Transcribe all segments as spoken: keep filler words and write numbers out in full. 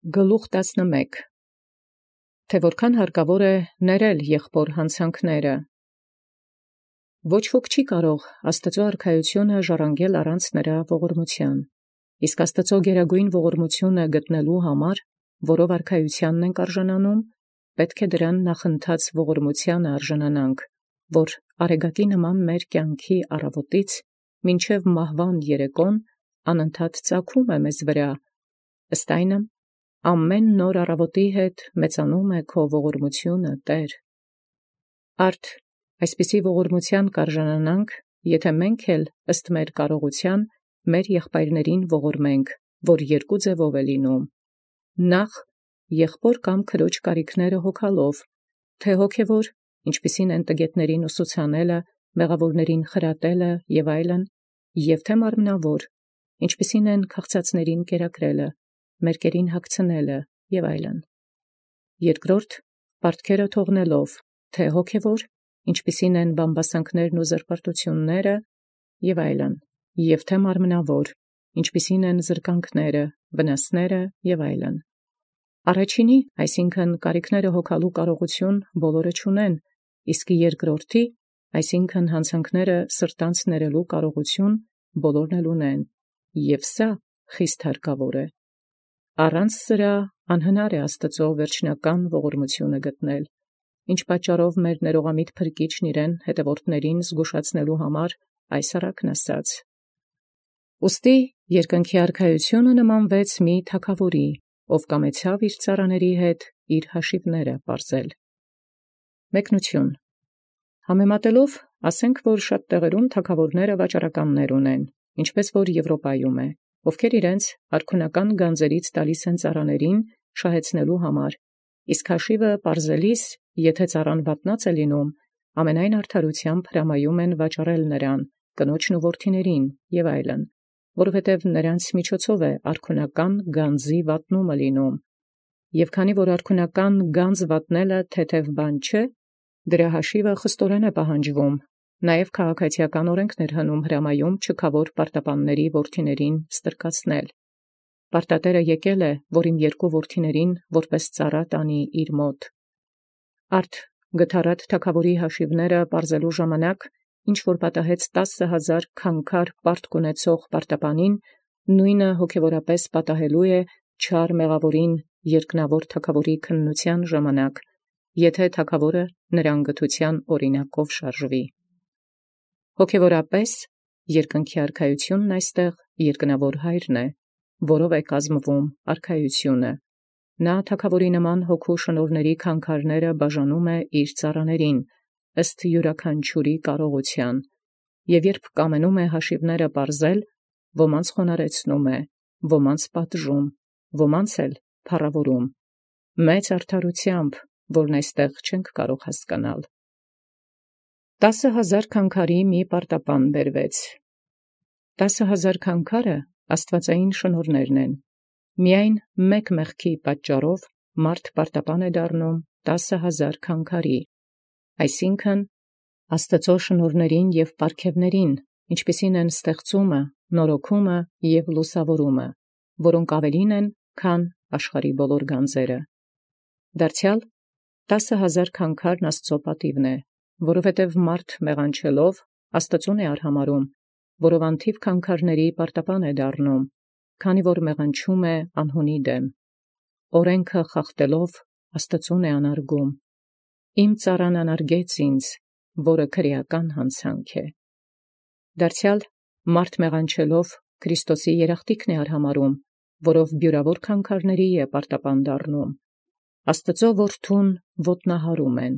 Գլուխ տասնմեկ. Թե որքան հարկավոր է ներել եղբոր հանցանքները։ Ոչ ոք չի կարող Աստուծոյ արքայութիւնը ժառանգել առանց նրա ողորմութեան, իսկ Աստուծոյ գերագույն ողորմութիւնը գտնելու համար, որով արքայութեանն ենք արժանանում, պետք է դրան նախընթաց ողորմութեանը արժանանանք, որ արեգակի նման մեր կյանքի առավոտից մինչև մահվան երեկոն անընդհատ ծագում է մեզ վրա, ըստ այնմ ամեն նոր առավոտի հետ մեծանում է քո ողորմութիւնը, Տէր։ Արդ այսպիսի ողորմութեան կարժանանանք, եթե մենք էլ ըստ մեր կարողութեան մեր եղբայրներին ողորմենք, որ երկու ձևով է լինում. նախ եղբոր կամ քրոջ կարիքները հոգալով, թե հոգևոր, ինչպիսին են տգետներին ուսուցանելը, մեղավորներին խրատելը եւ այլն, եւ թե մարմնավոր, ինչպիսին են քաղցածներին կերակրելը, մերկերին հագցնելը եւ այլն. երկրորդ պարտքերը թողնելով, թե հոգևոր, ինչպիսին են բամբասանքներն ու զրպարտությունները եւ այլն, եւ թե մարմնավոր, ինչպիսին են զրկանքները, վնասները եւ այլն. Առաջինի, այսինքն կարիքները հոգալու կարողություն բոլորը չունեն, իսկ երկրորդի, այսինքն հանցանքները սրտանց ներելու կարողություն բոլորն էլ ունեն, եւ սա խիստ հարկավոր է։ Առանց սրա անհնար է Աստուծոյ վերջնական ողորմութիւնը գտնել, ինչ պատճառով մեր ներողամիտ փրկիչն իրեն հետևորդներին զգուշացնելու համար այս առակն ասաց. Ուստի երկնքի արքայութիւնը նմանվեց մի թագաւորի, ով կամեցավ իր ծառաների հետ իր հաշիվները պարզել։ Մեկնություն. Համեմատելով, ասենք, որ շատ տեղերում թագաւորները վաճառականներ ունեն, ինչպես որ Եվրոպայում է, ովքեր իրենց արքունական գանձերից տալիս են ծառաներին շահեցնելու համար, իսկ հաշիվը պարզելիս, եթե ծառան վատնած է լինում, ամենայն արդարութեամբ հրամայում են վաճառել նրան, կնոջն ու որդիներին եւ այլն, որովհետեւ նրանց միջոցով է արքունական գանձի վատնումը լինում, եւ քանի որ արքունական գանձ վատնելը թեթև բան չէ, դրա հաշիվը խստորեն է պահանջվում, նաեւ քաղաքացիական օրենքներ հնում հրամայում չքավոր պարտապանների որդիներին ստրկացնել։ Պարտատերը եկել է, որ իմ երկու որդիներին որպես ծառա տանի իր մոտ։ Արդ գթառատ թագաւորի հաշիվները պարզելու ժամանակ, ինչ որ պատահեց տասը հազար քանքար պարտք ունեցող պարտապանին, նույնը հոգևորապես պատահելու է չար մեղավորին երկնավոր թագաւորի քննութեան ժամանակ, եթե թագաւորը նրան գթութեան օրինակով շարժվի։ Հոգևորապես երկնքի արքայութիւնն այստեղ երկնավոր Հայրն է, որով է կազմվում արքայութիւնը։ Նա թագաւորի նման հոգու շնորհների քանքարները բաժանում է իր ծառաներին, ըստ յուրաքանչյուրի կարողութեան, եւ երբ կամենում է հաշիվները պարզել, ոմանց խոնարհեցնում է, ոմանց պատժում, ոմանց էլ փառաւորում, մեծ արդարութեամբ, որն այստեղ չենք կարող հասկանալ։ Տասը հազար քանքարի մի պարտապան բերվեց։ Տասը հազար քանքարը աստուածային շնորհներն են։ Միայն մեկ մեղքի պատճառով մարդ պարտապան է դառնում տասը հազար քանքարի, այսինքն Աստուծոյ շնորհներին եւ պարգևներին, ինչպիսին են ստեղծումը, նորոգումը եւ լուսավորումը, որոնք ավելին են, քան աշխարհի բոլոր գանձերը։ Դարձեալ տասը հազար քանքարն Աստծո պատիվն է, որովհետև մարդ մեղանչելով Աստծուն է արհամարում, որով անթիվ քանքարների պարտապան է դառնում, քանի որ մեղանչում է անհունի դեմ, օրենքը խախտելով Աստծուն է անարգում։ Իմ ծառան անարգեց ինձ, որը քրեական հանցանք է։ Դարձեալ մարդ մեղանչելով Քրիստոսի երախտիկն է արհամարում, որով բյուրավոր քանքարների է պարտապան դառնում, Աստծո որդուն ոտնահարում են։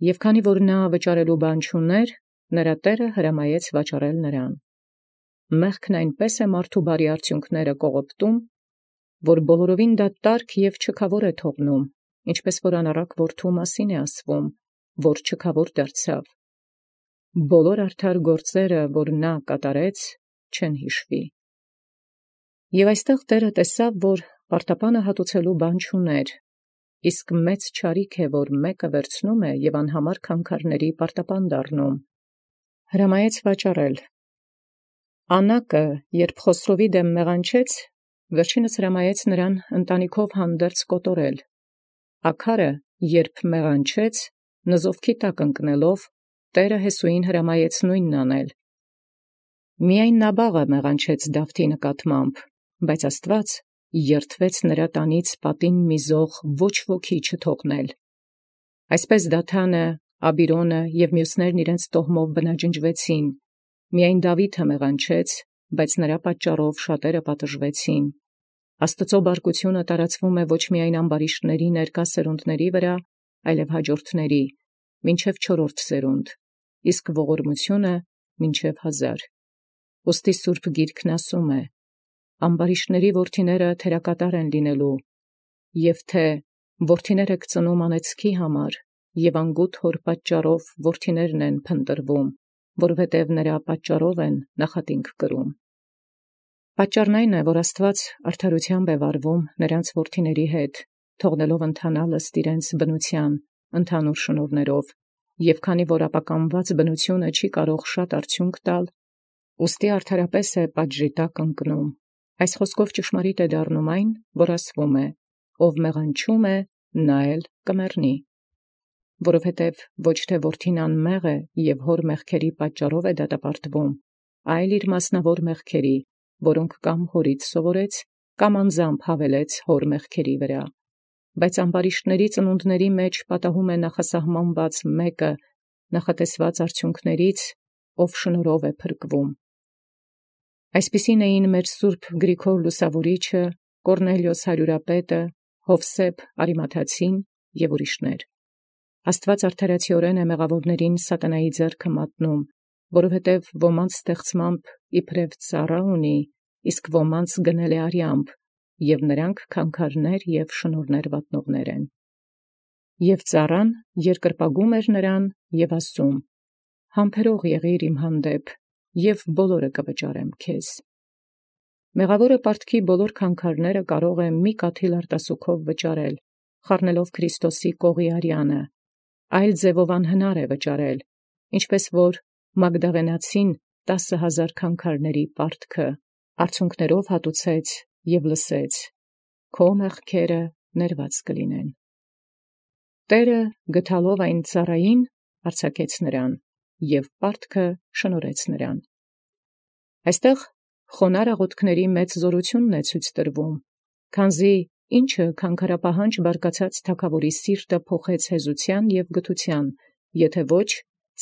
Եւ քանի որ նա վճարելու բան չուներ, նրա տերը հրամայեց վճարել նրան։ Մեղքն այնպես է մարդու բարի արդյունքները կողոպտում, որ բոլորովին դատարկ եւ չքավոր է թողնում, ինչպես որ անառակ որդու մասին է ասվում, որ չքավոր դարձավ։ Բոլոր արդար գործերը, որ նա կատարեց, չեն հիշվի։ Եւ այստեղ Տէրը տեսավ, որ պարտապանը հատուցելու բան չուներ, իսկ մեծ չարիք է, որ մեկը վերցնում է եւ անհամար քանքարների պարտապան դառնում։ Հրամայեց վաճառել։ Անակը, երբ Խոսրովի դեմ մեղանչեց, Վերջինս հրամայեց նրան ընտանիքով հանդերձ կոտորել։ Աքարը երբ մեղանչեց, նզովքի տակ ընկնելով, Տէրը Հեսուին հրամայեց նույնն անել։ Միայն Նաբաղը մեղանչեց Դավթի նկատմամբ, բայց Աստուած երդվեց նրա տանից պատին միզող ոչ ոքի չթողնել։ Այսպես Դաթանը, Աբիրոնը և մյուսներն իրենց տոհմով բնաջնջվեցին, միայն Դաւիթը մեղանչեց, բայց նրա պատճառով շատերը պատժվեցին։ Աստուծո բարկությունը տարածվում է ոչ միայն ամբարիշտների ներկա սերունդների վրա, այլև հաջորդների, մինչև չորրորդ սերունդ, իսկ ողորմությունը մինչև հազար։ Ուստի Սուրբ Գիրքն ասում է. «Ամբարիշտների որդիները թերակատար են լինելու, և թե որդիները կծնում անեծքի համար, և անգութ հոր պատճառով որդիներն են փնտրվում, որովհետև նրա պատճառով են նախատինք կրում»։ Պատճառն այն է, որ Աստուած արդարութեամբ է վարվում նրանց որդիների հետ, թողնելով ընթանալ ըստ իրենց բնութեան, ընդհանուր շնորհներով, և քանի որ ապականված բնությունը չի կարող շատ արդյունք տալ, ուստի արդարապես է պատժի տակ ընկնում։ Այս խոսքով ճշմարիտ է դառնում այն, որ ասվում է. «Ով մեղանչում է, նա էլ կմեռնի»։ Որովհետև ոչ թե որդին անմեղ է և հոր մեղքերի պատճառով է դատապարտվում, այլ իր մասնավոր մեղքերի, որոնք կամ հորից սովորեց, կամ անձամբ հավելեց հոր մեղքերի վրա։ Բայց ամբարիշտների ծնունդների մեջ պատահում է նախասահմանված մեկը նախատեսված արդյունքներից, ով շնորհով է փրկվում։ Այսպիսին էին մեր Սուրբ Գրիգոր Լուսավորիչը, Կորնելիոս հարյուրապետը, Յովսեփ Արիմաթացին և ուրիշներ։ Աստուած արդարացիորեն է մեղավորներին սատանայի ձեռքը մատնում, որովհետև ոմանց ստեղծմամբ իբրև ծառա ունի, իսկ ոմանց գնել է արյամբ, և նրանք քանքարներ և շնորհներ վատնողներ են։ Եւ ծառան երկրպագում էր նրան և ասում. «Համբերող եղիր իմ հանդեպ, և բոլորը կվճարեմ քեզ»։ Մեղավորը պարտքի բոլոր քանքարները կարող է մի կաթիլ արտասուքով վճարել, խառնելով Քրիստոսի կողի արյանը, այլ ձևով անհնար է վճարել, ինչպես որ Մագդաղենացին տասը հազար քանքարների պարտքը արցունքներով հատուցեց և լսեց. «Քո մեղքերը ներված կլինեն»։ Տէրը գտալով այն ծառային արձակեց նրան և պարտքը շնորհեց նրան։ Այստեղ խոնարհ աղոթքների մեծ զորությունն է ցույց տրվում, քանզի ինչը քանքարապահանջ բարկացած թագաւորի սիրտը փոխեց հեզության և գթության, եթե ոչ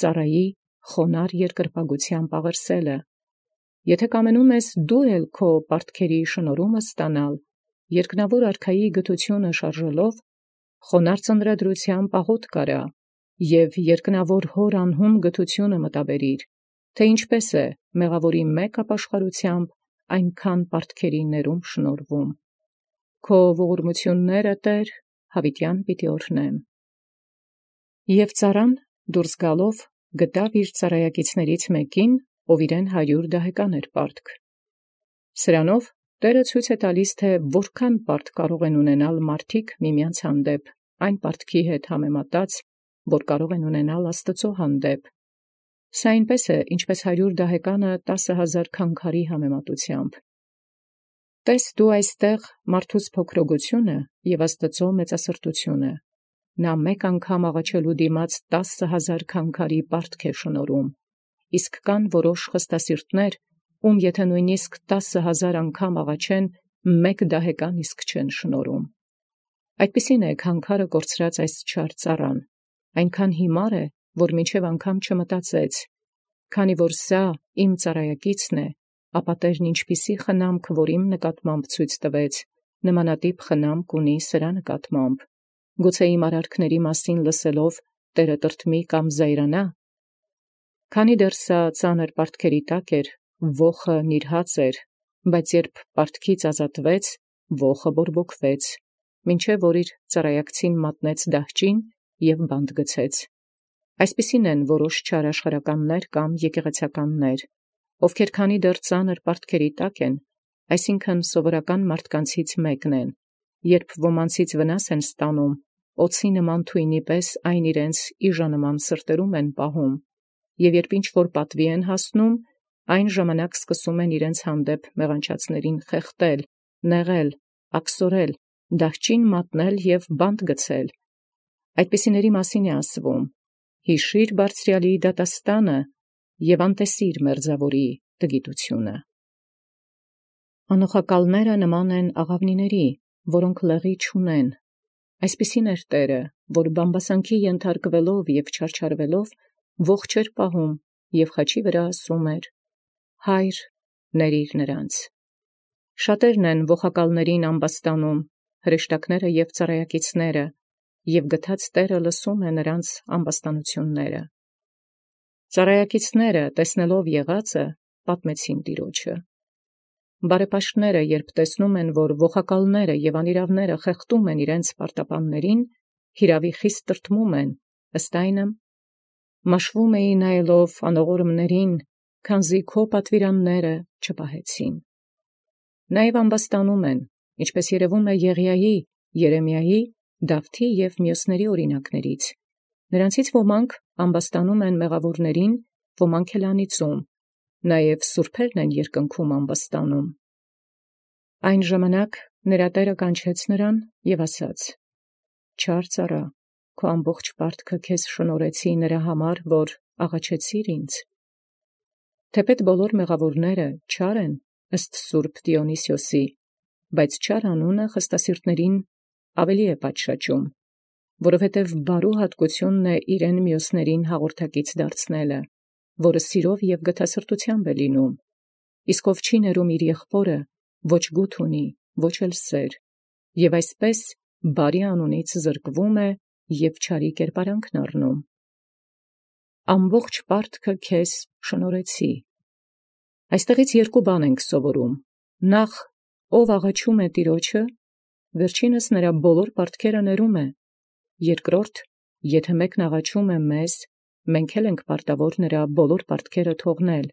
ծառայի խոնարհ երկրպագությամբ աղերսելը։ Եթե կամենում ես դու էլ քո պարտքերի շնորհումը ստանալ, երկնավոր արքայի գթությունը շարժելով, խոնարհ ծննդրությամբ աղոթք արա և երկնավոր հոր անհուն գթությունը մտաբերիր, թե ինչպես է մեղավորի մեկ ապաշխարությամբ այնքան պարտքերի ներում շնորհվում։ Քո ողորմությունները, Տէր, յաւիտեան պիտի օրհնեմ։ Եւ ծառան դուրս գալով գտավ իր ծառայակիցներից մեկին, ով իրեն հարյուր դահեկան էր պարտք։ Սրանով Տէրը ցույց է տալիս, թե որքան պարտ կարող են ունենալ մարդիկ միմյանց հանդեպ, այն պարտքի հետ համեմատած, որ կարող են ունենալ Աստուծո հանդեպ։ Սա այնպես է, ինչպես հարյուր դահեկանը տասը հազար քանքարի համեմատությամբ։ Տես դու այստեղ մարդուց փոքրոգությունը և Աստուծո մեծասրտությունը։ Նա մեկ անգամ աղաչելու դիմաց տասը հազար քանքարի պարտք է շնորհում, իսկ կան որոշ խստասիրտներ, ում եթե նույնիսկ տասը հազար անգամ աղաչեն, մեկ դահեկան իսկ չեն շնորհում։ Այդպիսին է քանքարը կորցրած այս չար ծառան, այնքան հիմար է, որ մինչև անգամ չմտածեց. «Քանի որ սա իմ ծառայակիցն է, ապա Տէրն ինչպիսի խնամք որ իմ նկատմամբ ցույց տվեց, նմանատիպ խնամք ունի սրա նկատմամբ։ Գուցե իմ արարքների մասին լսելով Տէրը տրտմի կամ զայրանա»։ Քանի դեռ սա ծանր պարտքերի տակ էր, ոխը նիրհած էր, բայց երբ պարտքից ազատվեց, ոխը բորբոքվեց, մինչև որ իր ծառայակցին մատնեց դահճին և բանտ գցեց։ Այսպիսին են որոշ չար աշխարհականներ կամ եկեղեցականներ, ովքեր քանի դեռ ծանր պարտքերի տակ են, այսինքն սովորական մարդկանցից մեկն են, երբ ոմանցից վնաս են ստանում, օձի նման թույնի պես այն իրենց իժանման սրտերում են պահում, և երբ ինչ-որ պատվի են հասնում, այն ժամանակ սկսում են իրենց հանդեպ մեղանչածներին խեղդել, նեղել, աքսորել, դահճին մատնել և բանտ գցել։ Այդպիսիների մասին է ասվում. հիշիր բարձրյալի դատաստանը և անտեսիր մերձաւորի տգիտությունը։ Անոխակալները նման են աղավնիների, որոնք լեղի չունեն։ Այսպիսին էր Տէրը, որ բամբասանքի ենթարկվելով և չարչարվելով ողջ էր պահում և խաչի վրա ասում էր. «Հայր, ներիր նրանց»։ Շատերն են ողակալներին ամբաստանում, հրեշտակները և ծառայակիցները, և գթած Տէրը լսում է նրանց ամբաստանութիւնները։ Ծառայակիցները, տեսնելով եղածը, պատմեցին Տեառնէ։ Բարեպաշտները, երբ տեսնում են, որ ողակալները և անիրաւները խեղդում են իրենց պարտապաններին, հիրաւի խիստ տրտմում են, ըստ այնմ մաշվում էին նայելով անողորմներին, քանզի քո պատուիրանները չպահեցին։ Նաեւ ամբաստանում են, ինչպէս երևում է Եղիայի, Երեմիայի, Դավթի և մյուսների օրինակներից. նրանցից ոմանք ամբաստանում են մեղաւորներին, ոմանք էլ անիծում, նաեւ սուրբերն են երկնքում ամբաստանում։ Այն ժամանակ նրա Տէրը կանչեց նրան և ասաց. «Չար ծառա, քո ամբողջ պարտքը քեզ շնորհեցի նրա համար, որ աղաչեցիր ինձ»։ Թեպետ բոլոր մեղաւորները չար են ըստ սուրբ Դիոնիսիոսի, բայց չար անունը խստասիրտացն ավելի է պատշաճում, որովհետև բարու հատկութիւնն է իրեն մյուսներին հաղորդակից դարձնելը, որը սիրով և գթասրտութեամբ է լինում, իսկ ով չի ներում իր եղբորը, ոչ գութ ունի, ոչ էլ սեր, և այսպես բարի անունից զրկվում է և չարի կերպարանքն առնում։ Ամբողջ պարտքը քեզ շնորհեցի։ Այստեղից երկու բան ենք սովորում. նախ, ով աղաչում է Տեառնէ, վերջինս նրա բոլոր պարտքերը ներում է. երկրորդ, եթե մեկն աղաչում է մեզ, մենք էլ ենք պարտավոր նրա բոլոր պարտքերը թողնել,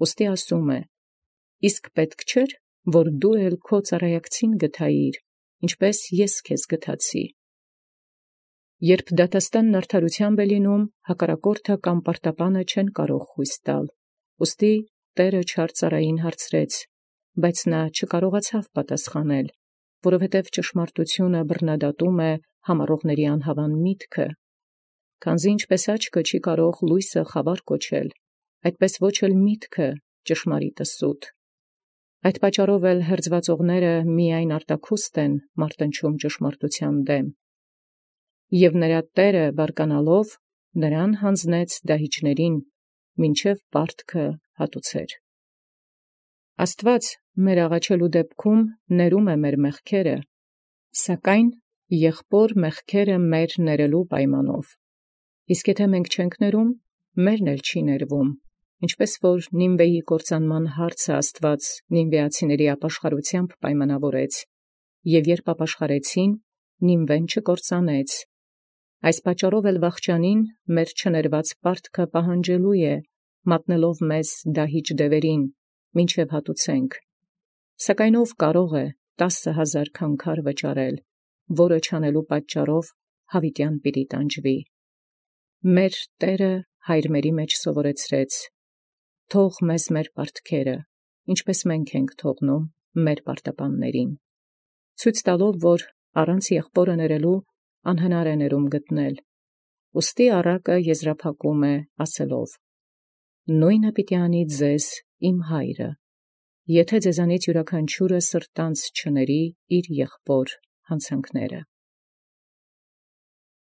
ուստի ասում է. իսկ պետք չէր, որ դու էլ քո ծառայակցին գթայիր, ինչպես ես քեզ գթացի։ Երբ դատաստանն արդարութեամբ է լինում, հակառակորդը կամ պարտապանը չեն կարող խույս տալ, ուստի Տէրը չար ծառային հարցրեց, բայց նա չկարողացավ պատասխանել, որովհետև ճշմարտությունը բռնադատում է համառողների անհավան միտքը։ Քանզի ինչպես աչքը չի կարող լույսը խավար կոչել, այդպես ոչ էլ միտքը ճշմարիտը սուտ։ Այդ պատճառով էլ հերձուածողները միայն արտաքուստ են մարտնչում ճշմարտութեան դեմ։ Եւ նրա Տէրը բարկանալով նրան յանձնեց դահիճներին, մինչև պարտքը հատուցեր։ Աստուած մեր աղաչելու դեպքում ներում է մեր մեղքերը, սակայն եղբոր մեղքերը մեր ներելու պայմանով։ Իսկ եթե մենք չենք ներում, մերն էլ չի ներվում, ինչպես որ Նինվեի կործանման հարցը Աստուած նինվեացիների ապաշխարութեամբ պայմանավորեց, և երբ ապաշխարեցին, Նինվեն չկործանեց։ Այս պատճառով էլ վախճանին մեր չներված պարտքը պահանջելու է, մատնելով մեզ դահիճ դևերին, մինչև հատուցենք։ Սակայն ով կարող է տասը հազար քանքար վճարել, որը չանելու պատճառով յաւիտեան պիտի տանջվի։ Մեր Տէրը հայրմերի մեջ սովորեցրեց. թող մեզ մեր պարտքերը, ինչպես մենք ենք թողնում մեր պարտապաններին, ցույց տալով, որ առանց եղբորը ներելու անհնար է ներում գտնել։ Ուստի առակը եզրափակում է ասելով. «Նոյնը պիտի անի ձեզ իմ հայրը, եթե ձեզանից յուրաքանչիւրը սրտանց չների իր եղբոր յանցանքները»։